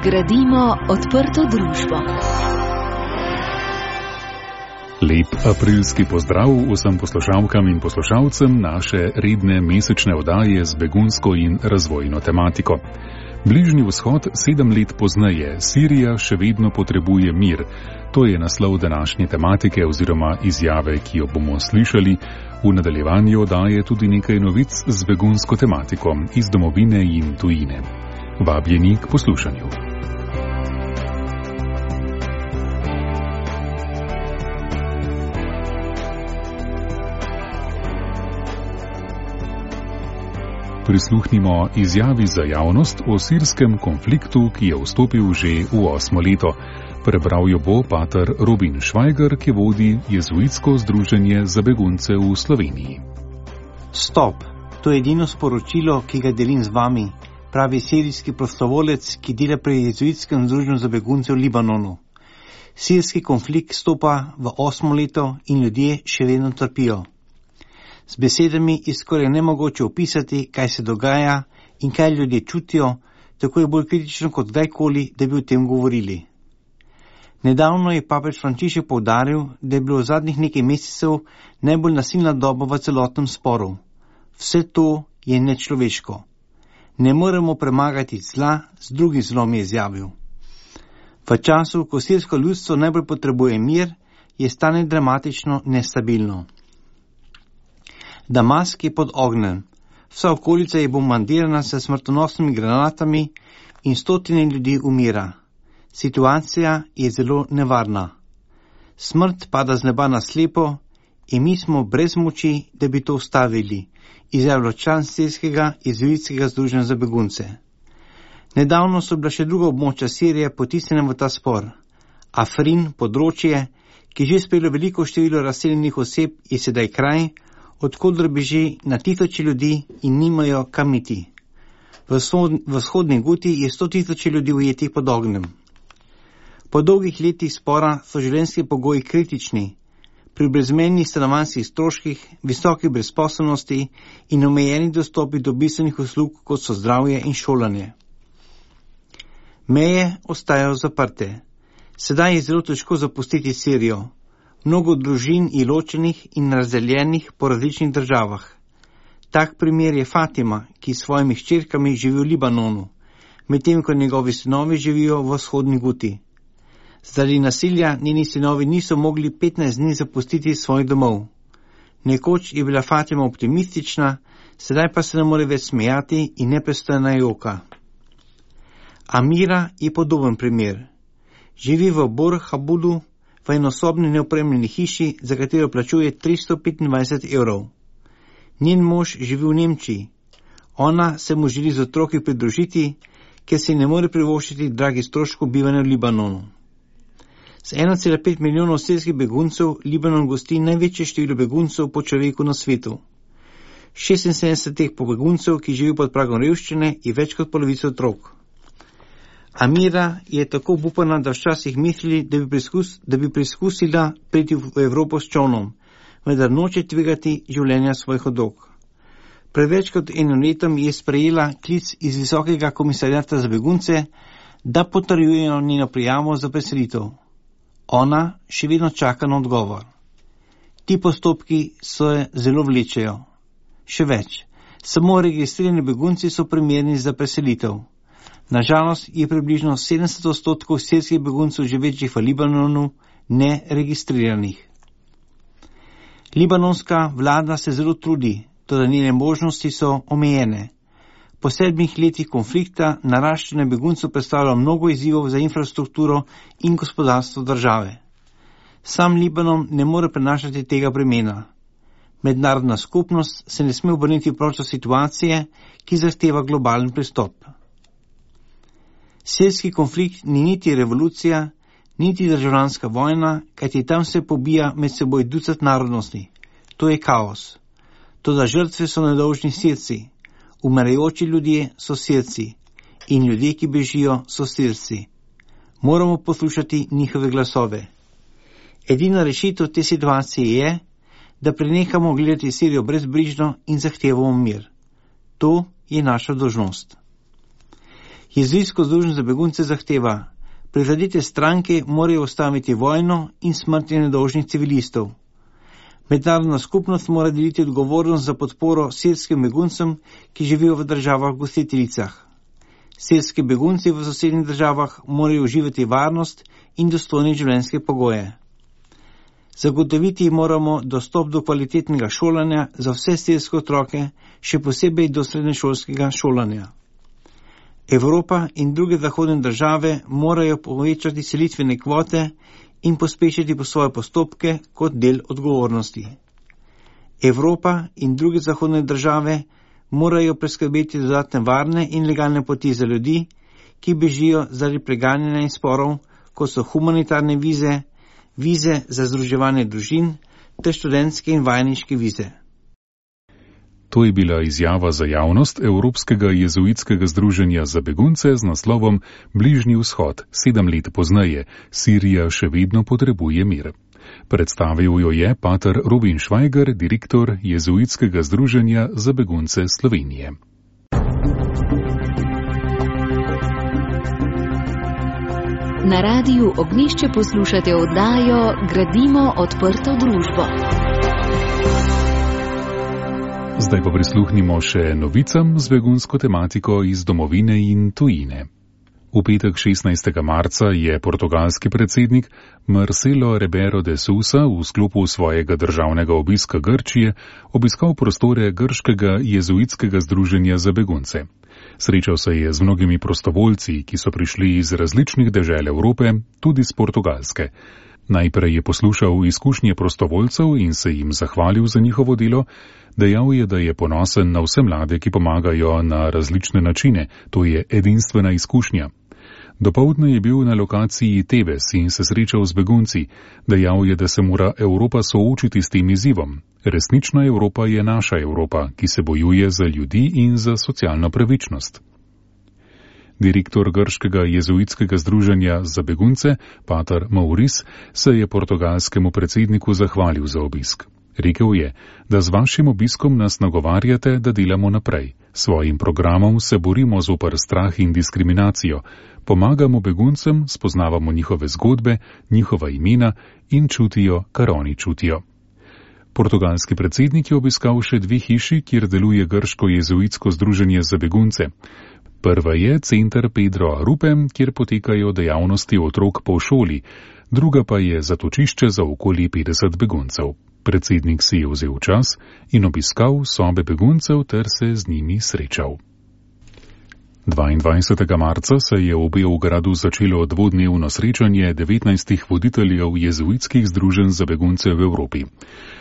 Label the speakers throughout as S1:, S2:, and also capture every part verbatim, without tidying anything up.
S1: Gradimo odprto družbo.
S2: Lep aprilski pozdrav vsem poslušalkam in poslušalcem naše redne mesečne oddaje z begunsko in razvojno tematiko. Bližnji vzhod sedem let pozneje, Sirija še vedno potrebuje mir. To je naslov današnje tematike oziroma izjave, ki jo bomo slišali. V nadaljevanju oddaje tudi nekaj novic z begunsko tematiko iz domovine in tujine. Vabljeni k poslušanju. Prisluhnimo izjavi za javnost o sirskem konfliktu, ki je vstopil že v osmo leto. Prebral jo bo pater Robin Švajger, ki vodi jezuitsko združenje za begunce v Sloveniji.
S3: Stop, to je edino sporočilo, ki ga delim z vami, pravi sirijski prostovolec, ki dela pri jezuitskem združenju za begunce v Libanonu. Sirski konflikt stopa v osmo leto in ljudje še vedno trpijo. Z besedami je skoraj nemogoče opisati, kaj se dogaja in kaj ljudje čutijo, tako je bolj kritično kot kdajkoli, da bi o tem govorili. Nedavno je papež Frančišek poudaril, da je bilo v zadnjih nekaj mesecev najbolj nasilna doba v celotnem sporu. Vse to je nečloveško. Ne moremo premagati zla, z drugim zlom je izjavil. V času, ko sirsko ljudstvo najbolj potrebuje mir, je stanje dramatično nestabilno. Damask je pod ognjem, vsa okolica je bombardirana s smrtonosnimi granatami in stotine ljudi umira. Situacija je zelo nevarna. Smrt pada z neba na slepo in mi smo brez moči, da bi to ustavili, izjavlja član sirskega jezuitskega združenja za begunce. Nedavno so bila še druga območja Sirije potisnjena v ta spor. Afrin, področje, ki že sprejelo veliko število razseljenih oseb, je sedaj kraj, odkudr beži na tisoče ljudi in nimajo kam iti. V vzhodni Guti je sto tisoče ljudi ujetih pod ognjem. Po dolgih letih spora so življenjski pogoji kritični, pri brezmejnih stanovanjskih stroških, visoki brezposelnosti in omejeni dostopi do bistvenih uslug, kot so zdravje in šolanje. Meje ostajajo zaprte. Sedaj je zelo težko zapustiti Sirijo. Mnogo družin je ločenih in razdeljenih po različnih državah. Tak primer je Fatima, ki s svojimi hčerkami živi v Libanonu, medtem ko njegovi sinovi živijo v vzhodni Guti. Zaradi nasilja njeni sinovi niso mogli petnajst dni zapustiti svojih domov. Nekoč je bila Fatima optimistična, sedaj pa se ne more več smejati in neprestano joka. Amira je podoben primer. Živi v Bor Habulu, v enosobni neopremljeni hiši, za katero plačuje tristo petindvajset evrov. Njen mož živi v Nemčiji. Ona se mu želi z otroki pridružiti, ker si ne more privoščiti dragih stroškov bivanja v Libanonu. Z ena cela pet milijonov sirskih beguncev Libanon gosti največje število beguncev po človeku na svetu. šestinsedemdeset teh beguncev, ki živijo pod pragom revščine, je več kot polovica otrok. Amira je tako obupana, da včasih misli, da bi, preizkus, da bi preizkusila priti v Evropo s čolnom, vendar noče tvegati življenja svojih otrok. Pred več kot enim letom je sprejela klic iz Visokega komisarjata za begunce, da potrjujejo njeno prijavo za preselitev. Ona še vedno čaka na odgovor. Ti postopki se zelo vlečejo. Še več, samo registrirani begunci so primerni za preselitev. Nažalost je približno sedemdeset odstotkov sirskih beguncev živečih v Libanonu neregistriranih. Libanonska vlada se zelo trudi, toda njene možnosti so omejene. Po sedmih letih konflikta naraščanje beguncev predstavlja mnogo izzivov za infrastrukturo in gospodarstvo države. Sam Libanon ne more prenašati tega bremena. Mednarodna skupnost se ne sme obrniti proti situacije, ki zahteva globalen pristop. Sirski konflikt ni niti revolucija, niti državljanska vojna, kajti tam se pobija med seboj ducat narodnosti. To je kaos. Toda žrtve so nedolžni Sirci, umirajoči ljudje so Sirci in ljudje, ki bežijo, so Sirci. Moramo poslušati njihove glasove. Edina rešitev te situacije je, da prenehamo gledati Sirijo brezbrižno in zahtevamo mir. To je naša dolžnost. Jezuitsko združenje za begunce zahteva: prizadete stranke morajo ustaviti vojno in smrti nedolžnih civilistov. Mednarodna skupnost mora deliti odgovornost za podporo sirskim beguncem, ki živijo v državah gostiteljicah. Sirski begunci v sosednjih državah morajo uživati varnost in dostojne življenjske pogoje. Zagotoviti moramo dostop do kvalitetnega šolanja za vse sirske otroke, še posebej do srednješolskega šolanja. Evropa in druge zahodne države morajo povečati selitvene kvote in pospešiti po svoje postopke kot del odgovornosti. Evropa in druge zahodne države morajo preskrbeti dodatne varne in legalne poti za ljudi, ki bežijo zaradi preganjanja in sporov, kot so humanitarne vize, vize za združevanje družin ter študentske in vajeniške vize.
S2: To je bila izjava za javnost Evropskega jezuitskega združenja za begunce z naslovom Bližnji vzhod, sedem let pozneje, Sirija še vedno potrebuje mir. Predstavil jo je pater Robin Švajger, direktor Jezuitskega združenja za begunce Slovenije.
S1: Na radiju Ognjišče poslušate oddajo Gradimo odprto družbo.
S2: Zdaj pa prisluhnimo še novicam z begunsko tematiko iz domovine in tujine. V petek šestnajstega marca je portugalski predsednik Marcelo Rebelo de Sousa v sklopu svojega državnega obiska Grčije obiskal prostore Grškega jezuitskega združenja za begunce. Srečal se je z mnogimi prostovoljci, ki so prišli iz različnih dežel Evrope, tudi z Portugalske. Najprej je poslušal izkušnje prostovoljcev in se jim zahvalil za njihovo delo. Dejal je, da je ponosen na vse mlade, ki pomagajo na različne načine. To je edinstvena izkušnja. Dopoldne je bil na lokaciji Tebes in se srečal z begunci. Dejal je, da se mora Evropa soočiti s tem izzivom. Resnična Evropa je naša Evropa, ki se bojuje za ljudi in za socialno pravičnost. Direktor Grškega jezuitskega združenja za begunce, pater Maurice, se je portugalskemu predsedniku zahvalil za obisk. Rekel je, da z vašim obiskom nas nagovarjate, da delamo naprej. Svojim programom se borimo zoper strah in diskriminacijo, pomagamo beguncem, spoznavamo njihove zgodbe, njihova imena in čutijo, kar oni čutijo. Portugalski predsednik je obiskal še dve hiši, kjer deluje Grško jezuitsko združenje za begunce. Prva je center Pedro Arupe, kjer potekajo dejavnosti otrok po šoli, druga pa je zatočišče za okoli petdeset beguncev. Predsednik si je vzel čas in obiskal sobe beguncev ter se z njimi srečal. dvaindvajsetega marca se je v Beogradu začelo dvodnevno srečanje devetnajstih voditeljev jezuitskih združenj za begunce v Evropi.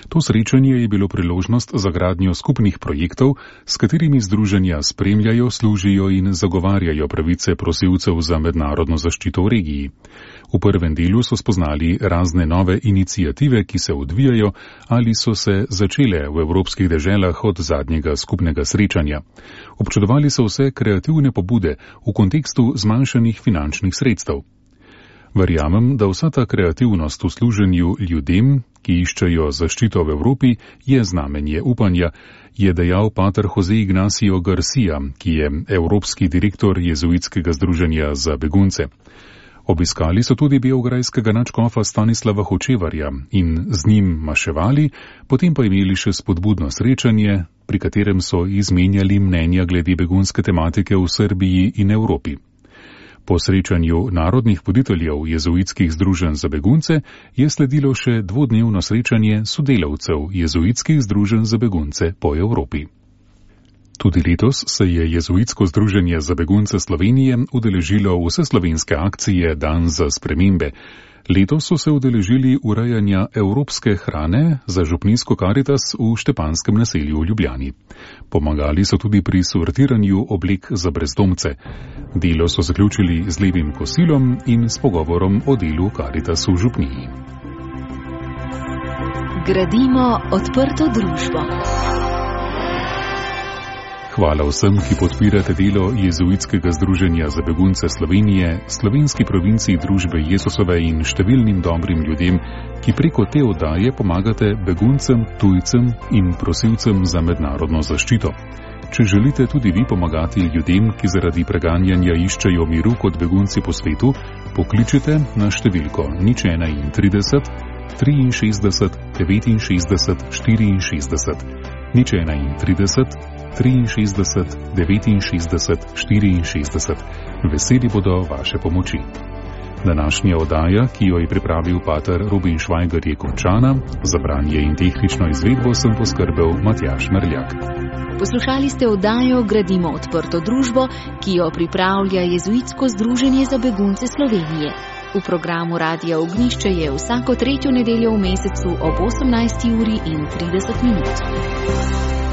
S2: To srečanje je bilo priložnost za gradnjo skupnih projektov, s katerimi združenja spremljajo, služijo in zagovarjajo pravice prosilcev za mednarodno zaščito v regiji. V prvem delu so spoznali razne nove iniciative, ki se odvijajo ali so se začele v evropskih deželah od zadnjega skupnega srečanja. Občudovali so vse kreativne pobude v kontekstu zmanjšanih finančnih sredstev. Verjamem, da vsa ta kreativnost v služenju ljudem, ki iščejo zaščito v Evropi, je znamenje upanja, je dejal pater Jose Ignacio Garcia, ki je evropski direktor jezuitskega združenja za begunce. Obiskali so tudi beograjskega nadškofa Stanislava Hočevarja in z njim maševali, potem pa imeli še spodbudno srečanje, pri katerem so izmenjali mnenja glede begunske tematike v Srbiji in Evropi. Po srečanju narodnih voditeljev jezuitskih združenj za begunce je sledilo še dvodnevno srečanje sodelavcev jezuitskih združenj za begunce po Evropi. Tudi letos se je jezuitsko združenje za begunce Slovenije udeležilo vseslovenske akcije Dan za spremembe. Letos so se udeležili urejanja evropske hrane za župnijsko Karitas v Štepanskem naselju v Ljubljani. Pomagali so tudi pri sortiranju oblek za brezdomce. Delo so zaključili z lepim kosilom in s pogovorom o delu Karitas v župniji.
S1: Gradimo odprto družbo.
S2: Hvala vsem, ki podpirate delo Jezuitskega združenja za begunce Slovenije, slovenski provinciji družbe Jezusove in številnim dobrim ljudem, ki preko te oddaje pomagate beguncem, tujcem in prosilcem za mednarodno zaščito. Če želite tudi vi pomagati ljudem, ki zaradi preganjanja iščejo miru kot begunci po svetu, pokličite na številko nič enaintrideset, triinšestdeset, devetinšestdeset, štiriinšestdeset, nič enaintrideset, triinšestdeset, devetinšestdeset, štiriinšestdeset. Veseli bodo vaše pomoči. Današnja oddaja, ki jo je pripravil pater Robin Švajger, je končana. Za branje in tehnično izvedbo sem poskrbel Matjaž Merljak.
S1: Poslušali ste oddajo Gradimo odprto družbo, ki jo pripravlja Jezuitsko združenje za begunce Slovenije. V programu Radia Ognišče je vsako tretjo nedeljo v mesecu ob osemnajsti uri in trideset minut.